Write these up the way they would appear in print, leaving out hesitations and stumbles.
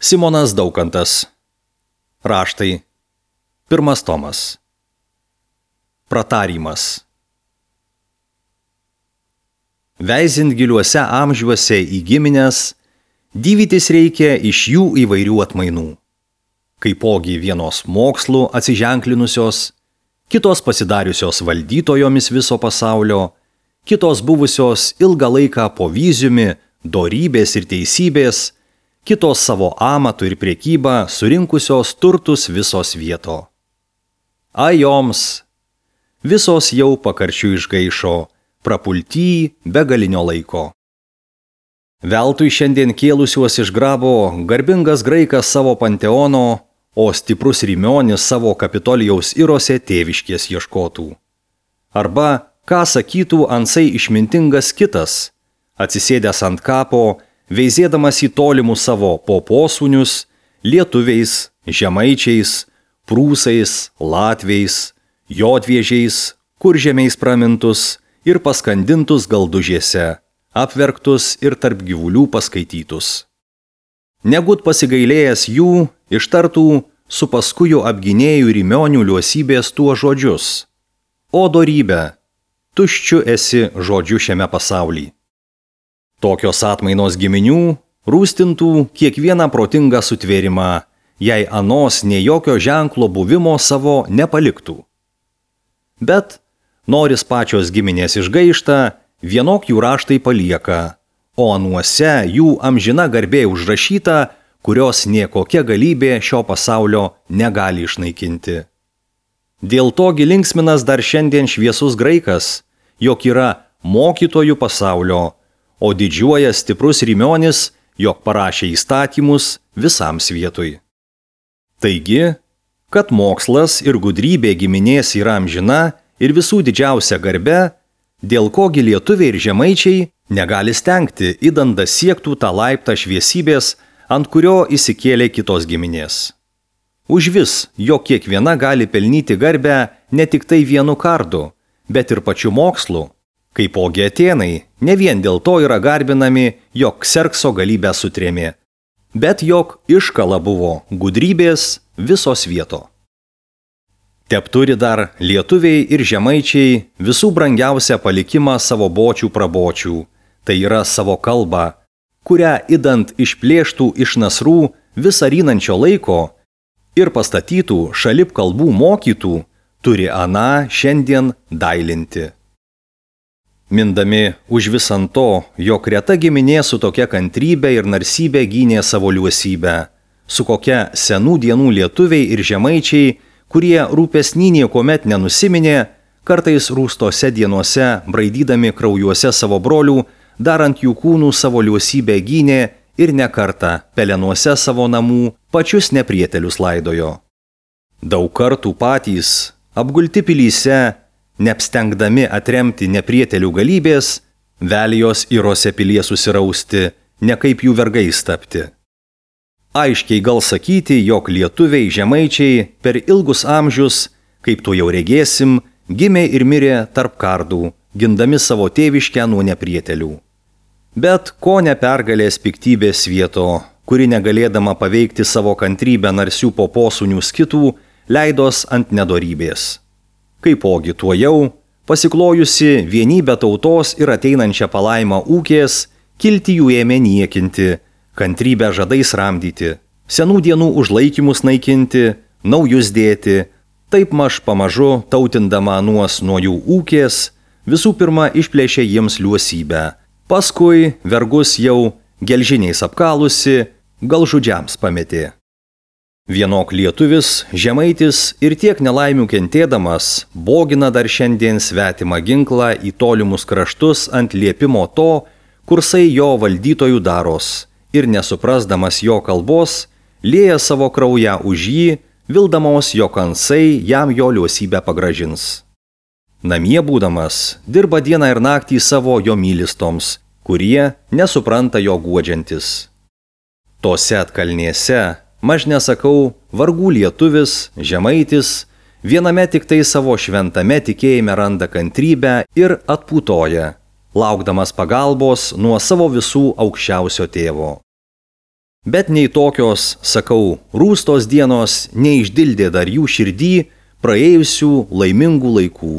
Simonas Daukantas. Raštai. 1 tomas. Pratarymas. Veizint giliuose amžiuose į gimines, dyvytis reikia iš jų įvairių atmainų. Kaipogi vienos mokslų atsiženklinusios, kitos pasidariusios valdytojomis viso pasaulio, kitos buvusios ilgą laiką po vyziumi, dorybės ir teisybės, kitos savo amatų ir priekybą surinkusios turtus visos vieto. Joms, visos jau pakarčių išgaišo, prapulty begalinio laiko. Veltui šiandien kėlusiuos iš grabo garbingas graikas savo panteono, o stiprus Rimionis savo Kapitolijaus irose tėviškės ieškotų. Arba, ką sakytų ansai išmintingas kitas, atsisėdęs ant kapo, veizėdamas į tolimus savo poposūnius, lietuviais, žemaičiais, prūsais, latviais, jodviežiais, kuržemiais pramintus ir paskandintus galdužėse, apverktus ir tarp gyvulių paskaitytus. Negut pasigailėjęs jų, ištartų su paskujų apginėjų Rimionių liuosybės tuo žodžius: O dorybė, tuščiu esi žodžiu šiame pasaulyje. Tokios atmainos giminių rūstintų kiekvieną protingą sutvėrimą, jei anos nei jokio ženklo buvimo savo nepaliktų. Bet, noris pačios giminės išgaišta, vienok jų raštai palieka, o anuose jų amžina garbė užrašyta, kurios nie kokia galybė šio pasaulio negali išnaikinti. Dėl to linksminas dar šiandien šviesus graikas, jog yra mokytojų pasaulio, o didžiuoja stiprus Rimionis, jog parašė įstatymus visam svietui. Taigi, kad mokslas ir gudrybė giminės yra amžina ir visų didžiausia garbe, dėl kogi lietuviai ir žemaičiai negali stengti, idant siektų tą laiptą šviesybės, ant kurio įsikėlė kitos giminės. Užvis, jog kiekviena gali pelnyti garbę ne tik tai vienu kardu, bet ir pačiu mokslu. Kaipogi Atėnai, ne vien dėl to yra garbinami, jog Kserkso galybę sutrėmė, bet jog iškala buvo gudrybės visos vieto. Tepturi dar lietuviai ir žemaičiai visų brangiausią palikimą savo bočių prabočių, tai yra savo kalbą, kurią idant išplėštų iš nasrų visą rynančio laiko ir pastatytų šalip kalbų mokytų, turi aną šiandien dailinti. Mindami už visant to, jog reta giminė su tokia kantrybė ir narsybė gynė savo liuosybę, su kokia senų dienų lietuviai ir žemaičiai, kurie rūpesnį niekuomet nenusiminė, kartais rūstose dienose, braidydami kraujuose savo brolių, darant jų kūnų savo liuosybę gynė ir ne kartą pelenuose savo namų pačius neprietelius laidojo. Daug kartų patys, apgulti pilyse, neapstengdami atremti neprietelių galybės, velijos irose pilie susirausti, ne kaip jų vergais tapti. Aiškiai gal sakyti, jog lietuviai žemaičiai per ilgus amžius, kaip tu jau regėsim, gimė ir mirė tarp kardų, gindami savo tėviškę nuo neprietelių. Bet ko nepergalės piktybės vieto, kuri negalėdama paveikti savo kantrybę narsių poposūnių skitų, leidos ant nedorybės. Kaipogi tuo jau, pasiklojusi vienybę tautos ir ateinančią palaimą ūkės, kilti jų ėmė niekinti, kantrybę žadais ramdyti, senų dienų užlaikymus naikinti, naujus dėti, taip maž pamažu tautindama anuos nuo jų ūkės, visų pirma išplėšė jiems liuosybę, paskui vergus jau gelžiniais apkalusi, gal žudžiams pametė. Vienok lietuvis, žemaitis ir tiek nelaimių kentėdamas, bogina dar šiandien svetimą ginklą į tolimus kraštus ant liepimo to, kursai jo valdytojų daros, ir nesuprasdamas jo kalbos, lieja savo kraują už jį, vildamos jo kansai jam jo liuosybę pagražins. Namie būdamas, dirba dieną ir naktį savo jo mylistoms, kurie nesupranta jo guodžiantis. Tose atkalnėse, maž nesakau, vargų lietuvis, žemaitis, viename tik tai savo šventame tikėjime randa kantrybę ir atputoja, laukdamas pagalbos nuo savo visų aukščiausio tėvo. Bet nei tokios, sakau, rūstos dienos neišdildė dar jų širdį praėjusių laimingų laikų.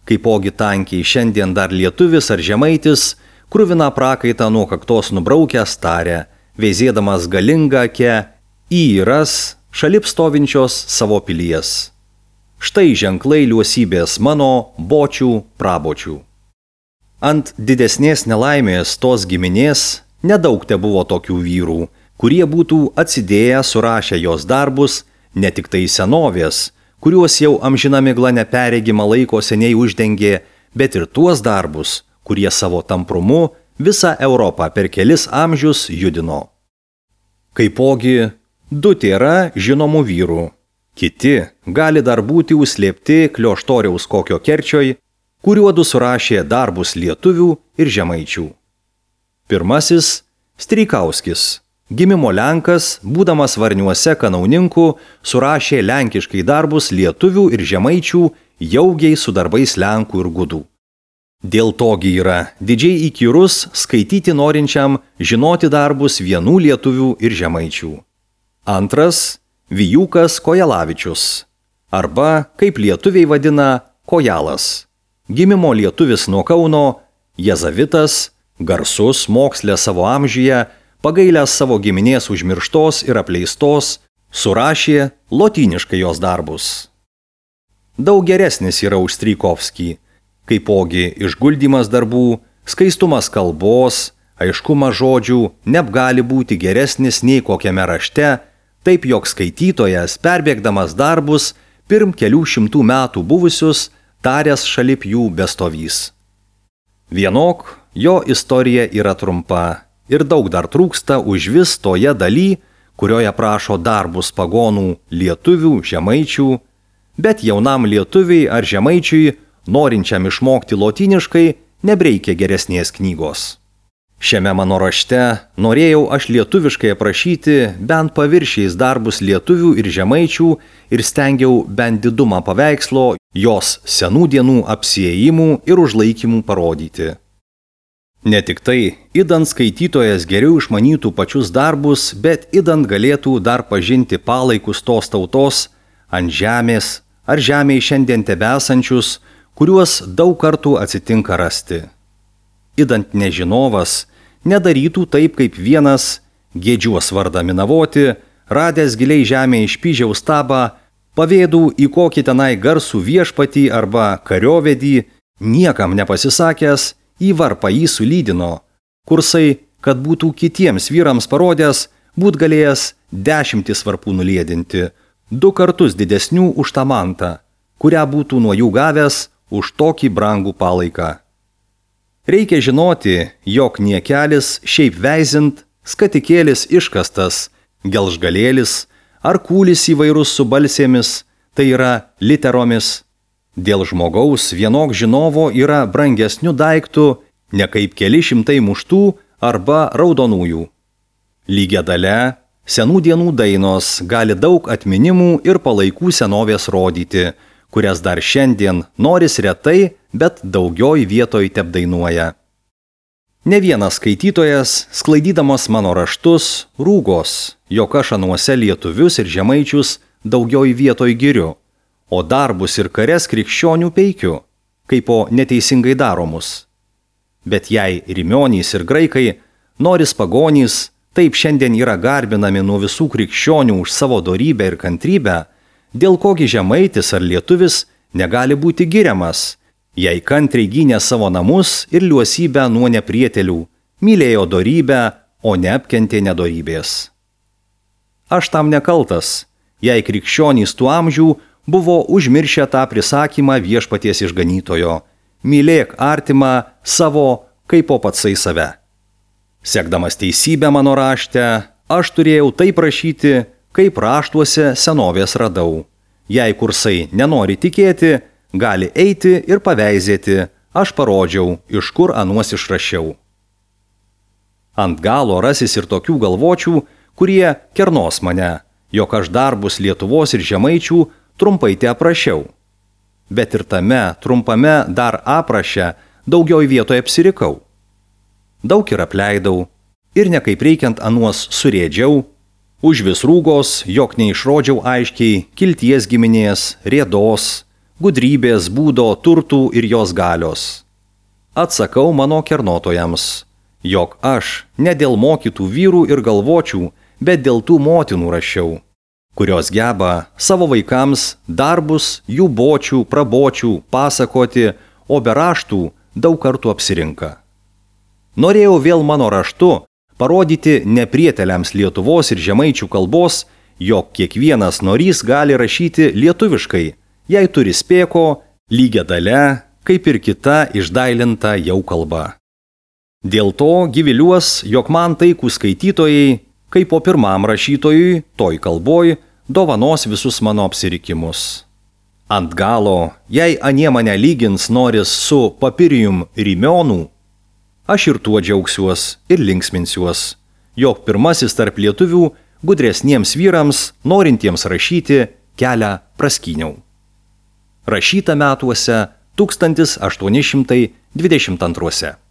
Kaipogi tankiai šiandien dar lietuvis ar žemaitis, kruvina prakaitą nuo kaktos nubraukęs tarė, veizėdamas galingą akę į įras šalip stovinčios savo pilies. Štai ženklai liuosybės mano bočių prabočių. Ant didesnės nelaimės tos giminės nedaug te buvo tokių vyrų, kurie būtų atsidėję surašę jos darbus, ne tik tai senovės, kuriuos jau amžina migla neperregima laiko seniai uždengė, bet ir tuos darbus, kurie savo tamprumu visą Europą per kelis amžius judino. Kaipogi, du tėra žinomų vyrų, kiti gali dar būti užslėpti Klioštoriaus kokio kerčioj, kuriuodu surašė darbus lietuvių ir žemaičių. Pirmasis – Streikauskis. Gimimo Lenkas, būdamas Varniuose kanauninku, surašė lenkiškai darbus lietuvių ir žemaičių jaugiai su darbais lenkų ir gudų. Dėl togi yra didžiai įkyrus skaityti norinčiam žinoti darbus vienų lietuvių ir žemaičių. Antras – Vijūkas Kojalavičius, arba, kaip lietuviai vadina, Kojalas. Gimimo lietuvis nuo Kauno, jezavitas, garsus mokslė savo amžiuje, pagailęs savo giminės užmirštos ir apleistos, surašė lotyniškai jos darbus. Daug geresnis yra už Streikovskį, kaipogi išguldymas darbų, skaistumas kalbos, aiškumas žodžių neapgali būti geresnis nei kokiame rašte, taip jog skaitytojas, perbėgdamas darbus, pirm kelių šimtų metų buvusius, taręs šalip jų bestovys. Vienok, jo istorija yra trumpa ir daug dar trūksta užvis toje daly, kurioje prašo darbus pagonų lietuvių, žemaičių, bet jaunam lietuviai ar žemaičiui, norinčiam išmokti lotyniškai, nebreikia geresnės knygos. Šiame mano rašte norėjau aš lietuviškai aprašyti bent paviršiais darbus lietuvių ir žemaičių ir stengiau bent didumą paveikslo jos senų dienų apsiėjimų ir užlaikymų parodyti. Ne tik tai, idant skaitytojas geriau išmanytų pačius darbus, bet idant galėtų dar pažinti palaikus tos tautos ant žemės ar žemėje šiandien tebesančius, kuriuos daug kartų atsitinka rasti. Idant nežinovas nedarytų taip kaip vienas, gėdžiuos vardą minavoti, radęs giliai žemėje išpyžiaus stabą, pavėdų į kokį tenai garsų viešpatį arba kariovedį, niekam nepasisakęs, į varpą jį sulydino, kursai, kad būtų kitiems vyrams parodęs, būt galėjęs 10 varpų nuliedinti, 2 kartus didesnių už tą mantą, kurią būtų nuo jų gavęs už tokį brangų palaiką. Reikia žinoti, jog niekelis šiaip veizint, skatikėlis iškastas, gelžgalėlis ar kūlis įvairus su balsėmis, tai yra literomis. Dėl žmogaus vienok žinovo yra brangesnių daiktų, ne kaip keli šimtai muštų arba raudonųjų. Lygia dalia, senų dienų dainos gali daug atminimų ir palaikų senovės rodyti, kurias dar šiandien noris retai, bet daugioj vietoj tebdainuoja. Ne vienas skaitytojas, sklaidydamas mano raštus, rūgos, jog aš anuose lietuvius ir žemaičius daugioj vietoj giriu, o darbus ir kares krikščionių peikiu, kaip po neteisingai daromus. Bet jei rimionys ir graikai, noris pagonys, taip šiandien yra garbinami nuo visų krikščionių už savo dorybę ir kantrybę, dėl kogi žemaitis ar lietuvis negali būti giriamas, jei kantriai gynė savo namus ir liuosybę nuo neprietelių, mylėjo dorybę, o neapkentė nedorybės. Aš tam nekaltas, jei krikščionys tų amžių buvo užmiršę tą prisakymą viešpaties išganytojo – mylėk artimą savo kaip po patsai save. Sekdamas teisybę mano rašte, aš turėjau taip rašyti, kaip raštuose senovės radau. Jei kursai nenori tikėti, gali eiti ir paveizėti, aš parodžiau, iš kur anuos išrašiau. Ant galo rasis ir tokių galvočių, kurie kernos mane, jog aš darbus Lietuvos ir žemaičių trumpai te aprašiau. Bet ir tame trumpame dar apraše daugioj vietoje apsirikau. Daug ir apleidau, ir ne kaip reikiant anuos surėdžiau, už vis rūgos, jog neišrodžiau aiškiai kilties giminės, rėdos, gudrybės, būdo, turtų ir jos galios. Atsakau mano kernotojams, jog aš ne dėl mokytų vyrų ir galvočių, bet dėl tų motinų rašiau, kurios geba savo vaikams darbus jų bočių, prabočių pasakoti, o be raštų daug kartų apsirinka. Norėjau vėl mano raštu parodyti neprieteliams Lietuvos ir žemaičių kalbos, jog kiekvienas norys gali rašyti lietuviškai, jei turi spėko, lygia dalia, kaip ir kita išdailinta jau kalba. Dėl to gyviliuos, jog man taikų skaitytojai, kaip po pirmam rašytojui, toj kalboj, dovanos visus mano apsirikimus. Ant galo, jei anie mane lygins noris su papirijum Rymionų, aš ir tuo džiaugsiuos ir linksminsiuos, jog pirmasis tarp lietuvių gudresniems vyrams, norintiems rašyti, kelią praskyniau. Rašyta metuose 1822.